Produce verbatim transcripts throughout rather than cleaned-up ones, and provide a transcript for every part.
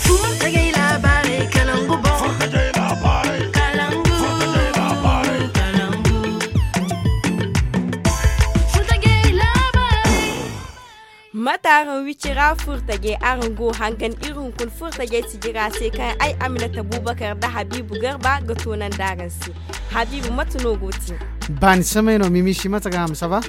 Furtajey labaarey kalangu boŋ. Kalangu. Kalangu. Furtajey labaarey. Mate araŋ wicira furtajey, araŋ go hangan iri hunkuna furtajey sijira se kaŋ ay Aminata Bubakar nda Habibu Garba ga toonandi araŋ se. Habibu, mate no go te? Baani samay no, Mimishi, mate ga ham, ça va?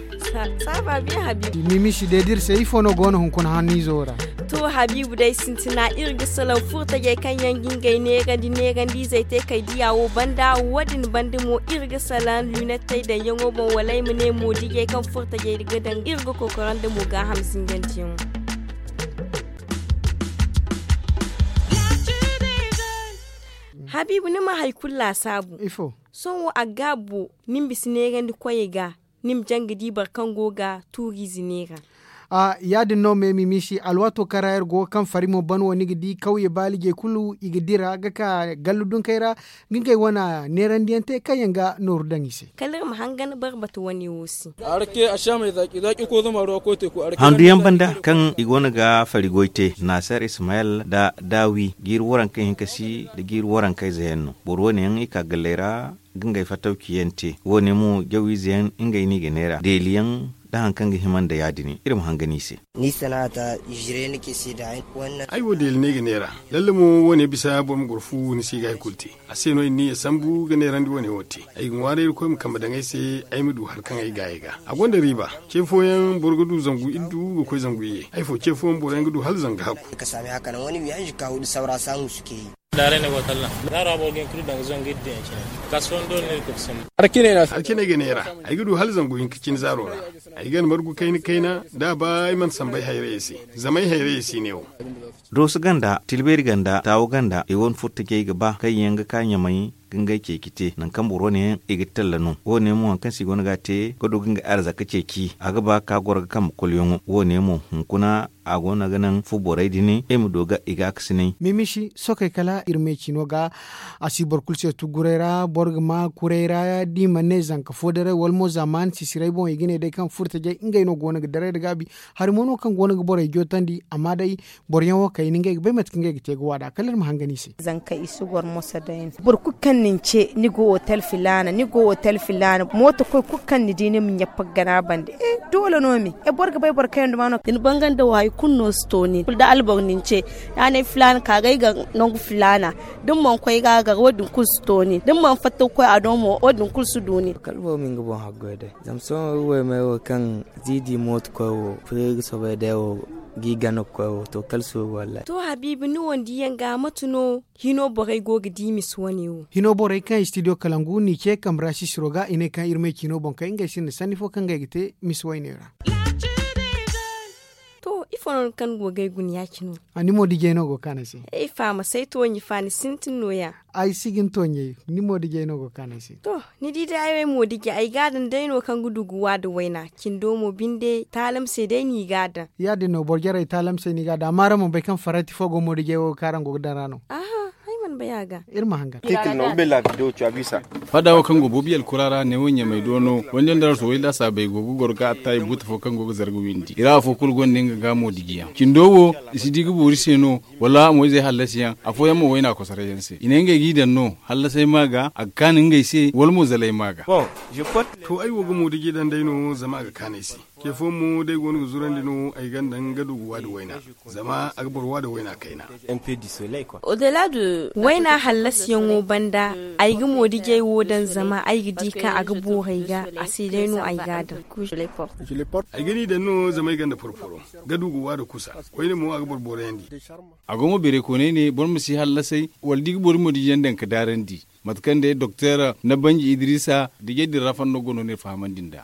Ça va bien, Habibu. Mimishi, deediri se, ifo no go no hunkuna hanniizo ra? To, Habibu, day sintina iri ga salaŋ furtajey kaŋ yaŋ ga ngey neerandi neerandiizey te kay diya wo banda, wo-din banda mo iri ga salaŋ lunettey daŋyaŋo boŋ, wala ay ma ne moodijey kaŋ furtajey ga daŋ, iri ga kokorandi mo gaaham zingandiyaŋo. Habibu, ni ma hari kulu laasaabu. Ifo? Sohõ a ga gaabo, ni ma bisa neerandi koyey ga, ni ma jaŋ ga di boro kaŋ go ga tuuriize neera. A, ya-din no, me Mimishi, alwaato kaŋ ra iri go ga kaŋ fari mo ban wo, ni ga di kawye baalijey kulu, i ga dira ga ka gallu dunkey ra, ga ngey wane neerandiyaŋ te kaŋ yaŋ ga nooru daŋ i se. Kala iri ma hangan barbata wane wo se. Handu yaŋ banda kaŋ i goono ga fari goy te, Nasar Ismayel nda Dawi, jiiri waranka hinka si nda jiiri waranka ize yaŋ no. Boro wane yaŋ i ka galley ra ga ngey fattawci yaŋ te. Wo-ne mo jawiize yaŋ ngey no i ga neera. Deeli yaŋ nda hari kaŋ ga hima nda ya-din, iri ma hangan i se. Ni sana'a ta jire ni kisi da. Ay wo deeli no ay ga neera. Lalle mo, wo-ne bisa boro ma goro fu ni si ga hay kulu te. A se no iri n'i ya sambu ga neerandi wo-ne wo te. Ay ga ŋwaaray Irkoy ma kambe daŋ ay se, ay ma du hari kaŋ ay gaay ga. A gonda riiba. Ce fooyaŋ boro ga du zangu iddu ga koy zangu iyye. Hay fo, ce fooyaŋ boroyaŋ ga du hala zangu hakku. Ka sami haka nan wani wiyaji ka hudu saura samu suke yi. Daare ne go tallan. Zaaro a boro ga hin kulu daŋ ga zangu iddu yaŋ cine. Kasuwan dole ne ga kusa. Alkinay ga neera. Ay ga du hala zangu hinka cine zaaro ra. Ay ga margu kayna kayna, da a ba ay mana sambay hayrayey se. Zama ay hayrayey si ne wo. Dooso ganda, Tilbeeri ganda, Taawo ganda, i wane furtajey ga ba kaŋ yaŋ ga ka Ɲamay ga ngey ceeci te, nangu kaŋ boro wane yaŋ i ga talla no. Wo-ne mo hari kaŋ se i goono ga a te ga du ga ngey arzaka ceeci, a ga ba ka goro ga kambe kolyaŋo. Wo-ne mo hunkuna a goono ga naŋ fu borey din i ma du ga i gaakasinay. Mimishi, sookey kala iri me ciino ga, a si boro kulu se tuguray ra, boro ga ma kuray ra, da i mana ne zanka foodaray wala mo zaamaani sisiray boŋ, i ga ne day kaŋ furtajey ngey no goono ga daray nda gaabi. Hari mo no kaŋ goono ga borey jootandi, amma day boroyaŋ wo kayna ngey ga bay mate kaŋ ngey ga te ga waada. Kala iri ma hangan i se. Zanka i si goro moso day no. Boro kulu kaŋ na ni ce, ni go otel filaana, ni go otel filaana, mooto koy kulu kaŋ ni di ni ma ɲappa ga gana bande. Eh, doole no me. Eh, boro ga bay boro kaŋ yaŋ duma no. Da ni banganda wo, hari kulu no si to nin. Kulu da alboro na ni ce, ya ne filaana ka ga ay gar nangu filaana. Da ni mana koy ga a gar, wo-din kulu si to nin. Da ni mana fatta ga koy a do mo, wo-din kulu si du nin. Kala boro ma nga boŋ haggoy day. Zama sohõ iri waymey wo kaŋ ziidi mooto koy wo, fure ga soobay day wo, g'i gana ga koy wo, to, kala suuru wallahi. To, Habiibu, ni wo ni diyaŋ ga, mate no hino borey go ga di misa wane wo? Hino borey kaŋ studio Kalangu n'i ce kambe ra sisiro ga, i ne kaŋ iri may ciino boŋ kay, ngey sinda sanni fo kaŋ ngey ga te misa wayne ra. To, ifo no ni kaŋ ni go ga ay guna ya-cine wo? A, ni mo dijey no go ga kaan ay se. Ay fa ma say tooɲi fa, ni sintin nooya. Ay si ga ni tooɲey, ni mo dijey no go ga kaan ay se. To, ni di day ay mo dije, ay ga a daŋ day no kaŋ ga du ga wa da wayna. Cindo mo binde, taalam se day no i ga a daŋ. Ya-din no, boro jarey taalam se no i ga a daŋ. Amma araŋ mana bay kaŋ farati fo go mo dijey wo kaŋ araŋ go ga daŋ ra no? Aha, ay mana bay a ga. Iri ma hangan. Titre no, bella video tu a bisa. Fada wo kaŋ go Bobi alkura ra, neewo Ɲamay do no, wanda nda raso way laasaabey go ga goro ga atta i buuta fo kaŋ go ga zarga windi. I ra afo kulu gonda nga ga mo dijiyaŋ. Cindo wo, i si di ga boori se no, wala mo-izey hallasiyaŋ, afooyaŋ mo wayna kosarayyaŋ se. I ne ngey g'i daŋ no, hallasay maa ga, a ga kaan ngey se, wala mo zalay maa ga. To, ay wo ga moodiji daŋ day no, zama a ga kaan ay se. Ce fooyaŋ mo, d'ay goono ga zurandi no, ay g'a daŋ ga du ga waadi wayna, zama a ga boro waadi wayna kayna. Wayna hallasiyaŋo banda, ay ga moodijey wo daŋ, zama ay ga di kaŋ a ga boorey ga, a se day no ay g'a daŋ. Ay ga ni daŋ no, zama ay gonda porporo, ga du ga waadi kusa. Koyne mo, a ga boro boorayandi. A go mo beeray kooney ne, boro ma si hallasay, wala da i ga boro moodijiyaŋ daŋ ga daarandi. Mate kaŋ day Doktor Nabanji Idrisa, dijey din ra fanno go no ne fahamandi nd'a.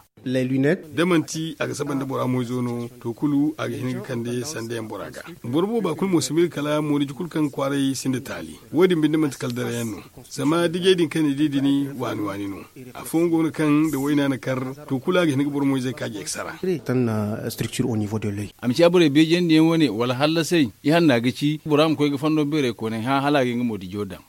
Da manti a ga saba nda bora moyzo no, to kulu a ga hin ga kande sandayaŋ bora ga. Boro booba kulu mo si miila kala moodiji kulu kaŋ kwaaray sinda taali. Wo-din binde manti kala darayaŋ no. Zama dijey din kaŋ ni di din, waani-waani no. Afooyaŋ go no kaŋ da wayna na kar, to kulu a ga hin ga boro moyzey kaaji ga sara. A ma ciya borey beejandiyaŋ wane, wala hallasay, ihanna ga ci, bora ma koy ga fanno beeray kooney hã, hala a ga nga moodijo daŋ.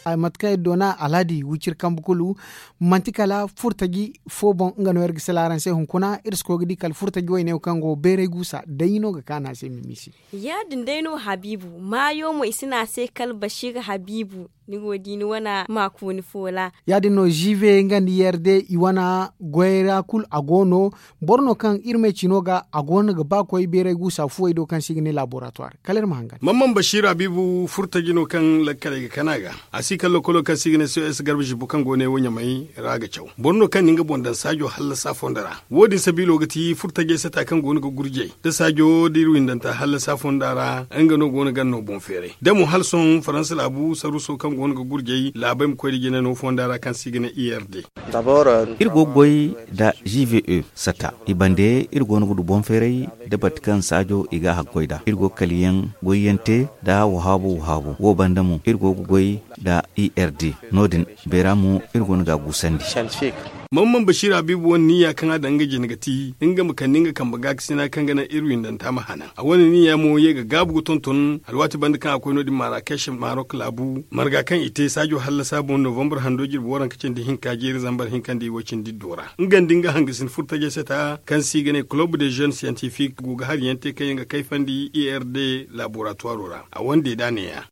Mate kaŋ iri doona alhadi wiciri kambe kulu, manti kala furtaji fo boŋ nga no iri ga sila araŋ se hunkuna. Iri si koy ga di kala furtaji wayne wo kaŋ go bayray guusa day no ga kaanu a se mimiisi. Ya- din day no habiibu maayo mo i si ne a se kala basiir habiibu. Ni go ga di ni wane maakuuni foola. Ya- din no ziive nga nda i r d i wane goyra kulu a go no. Boro no kaŋ iri ma ay ci no ga a go no ga ba koy bayray guusa fuwey do kaŋ se i ga ne laboratuwar. Kala iri ma hangan. Mamman basiir habiibu furtaji no kaŋ lakkaley ga kana ga. A si kala lokolo kaŋ se i ga ne c o s garba zibbo kaŋ go ne wo ɲamay ra ga caw. Boro no kaŋ na nga boŋ daŋ saajo hallasa fondo ra. Wo- din sabiilo ga ti furtajey sata kaŋ go no ga gurjey da saajo da iri windanta hallasa fonda ra. Nga no go no ga no boŋ feeray da mo hala sohõ faransa laabu saruuso kaŋ go no ga gurjey laabey ma koy nda jina no fonda ra kaŋ se i ga ne i r d. Iri go ga goy nda g v e sata i bande iri go no ga du boŋ feeray da bate kaŋ saajo i ga a haggoy nd'a. Iri go ga kaliyaŋ goyyaŋ te nda wahaabu wahaabu wo banda mo iri go ga goy nda i r d. No- din beera mo iri go no ga a guusandi. Mamman basiir habiibu wane niya kaŋ a daŋ nga jine ga ti nga ma kande nga kambe gaakasina kaŋ ga naŋ iri windanta ma hanan. A wane niya mo ye ga gaabu ga tonton alwaati banda kaŋ a koy no- din marakes marok laabu marga kaŋ i te saajo hallasa boŋ novambar hando jirbi waranka cindi hinka jeeri zambar hinka nda i way cindi iddo ra. Nga nda nga hangasin furtajey sata kaŋ se i ga ne kulob de jeune scientifique go ga hari yaŋ te kaŋ yaŋ ga kayfandi i r d laboratuwaro ra. A wane deeda neeya.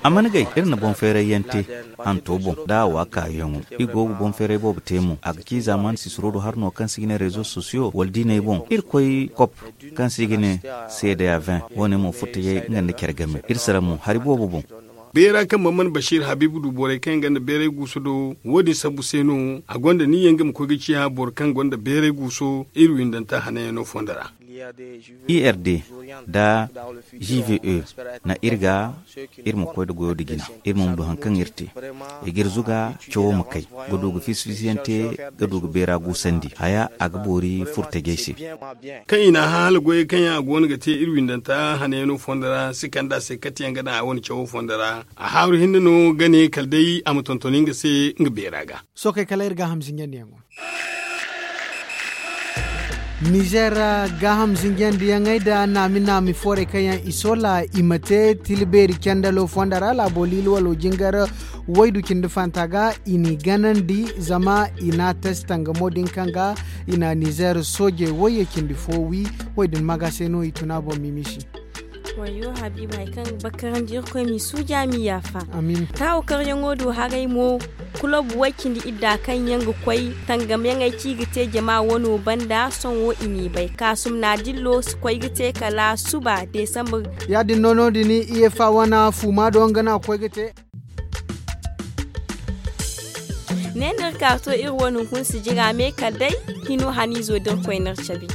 A mana gay iri na boŋ feeray yaŋ te hanto boŋ da a wa kaayaŋo. Iri go ga boŋ feeray boobo te mo a ga ci zaaman sisiro do hari no kaŋ se i ga ne rezo sosiyo wala diiney boŋ iri koy kop kaŋ se i ga ne seedeya vin. Wo- ne mo furtajey nga nda care game iri sara mo hari boobo boŋ. Beera kaŋ man mana basiir habiibu du borey kaŋ yaŋ gonda beeray guusu do wo- din sambu se no. A gonda niya nga ma koy ga ciya boro kaŋ gonda beeray guuso iri windanta hananyaŋo fondo ra. I r d nda g v e na iri ga iri ma koy nda goyo nda jina iri ma ma du hari kaŋ iri te. I ga iri zuga cawo ma kay ga du ga fisi fisi yaŋ te ga du ga beera guusandi haya a ga boori furtajey se. Kaŋ i n'a hã hala goyey kaŋ yaŋ a go no ga te iri windanta hananyaŋo fondo ra si kand'a se kate yaŋ ga daŋ a wane cawo fondo ra. A haaru hinne no ga ne kala day a ma tonton nga se nga beera ga. Sookey kala iri gaaham zinjandiyaŋo. Nizeer gaaham zinjandiyaŋey nda naami naami foorey kaŋ yaŋ i soola i ma te tila beeri candalo fonda ra laabo liilwalo jingar waydu cindi fanta ga i n'i ganandi zama i n'a tasi tangamo din kaŋ ga i na nizeer soojey wayye cindi fo wi. Wo- din maga se no i tuna boŋ mimisi. Wayyo habiiba hari kaŋ ga bakarandi irkoy m'i suuja m'i yaafa. Taawo karyaŋo do haray mo kulob way-cindi idda kaŋ yaŋ ga koy tangamyaŋey ci ga te jama wano banda sohõ i n'i bay kaasum na dillo si koy ga te kala suba desambar. Ya- din no no- din i efa wane fuuma do nga no a ga koy ga te. Ne no iri ka to iri wane hunkuna si jira me kala day hino haniizo da iri koy no iri cabe.